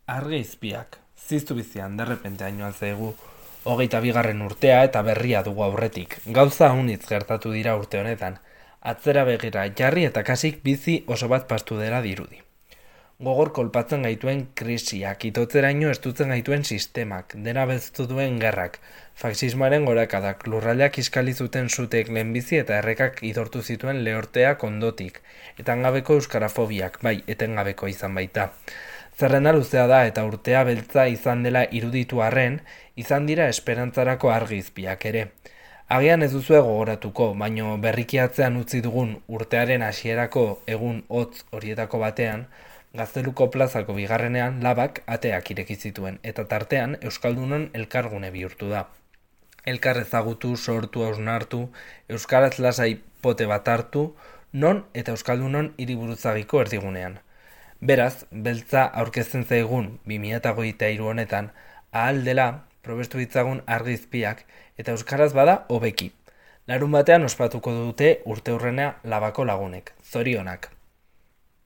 Argi-izpiak, ziztu bizian derrepente hainoan zaigu, 22. urtea eta berria dugu aurretik. Gauza hunitz gertatu dira urte honetan. Atzera begira jarri eta kasik bizi oso bat pastu dela dirudi. Gogor kolpatzen gaituen krisiak, itotzeraino estutzen gaituen sistemak, dena beztu duen gerrak, faxismoaren gorakadak, lurraldeak iskali zuten sutek lehenbizi eta errekak idortu zituen lehorteak ondotik, etengabeko euskarafobiak, bai, etengabeko izan baita. Zerrenda luzea da eta urtea beltza izan dela iruditu arren, izan dira esperantzarako argi-izpiak ere. Agian ez duzue gogoratuko, baino berriki atzean utzi dugun urtearen hasierako egun hotz horietako batean, Gazteluko plazako bigarrenean labak ateak ireki zituen, eta tartean Euskaldunon elkargune bihurtu da. Elkar ezagutu, sortu, hausnartu, euskaraz lasai pote bat hartu, non eta Euskaldunon hiriburuzagiko erdigunean. Beraz, beltza aurkezten zaigun 2023 honetan, ahal dela probestu ditzagun argi-izpiak eta euskaraz bada hobeki. Larun batean ospatuko dute urteurrena labako lagunek. Zorionak.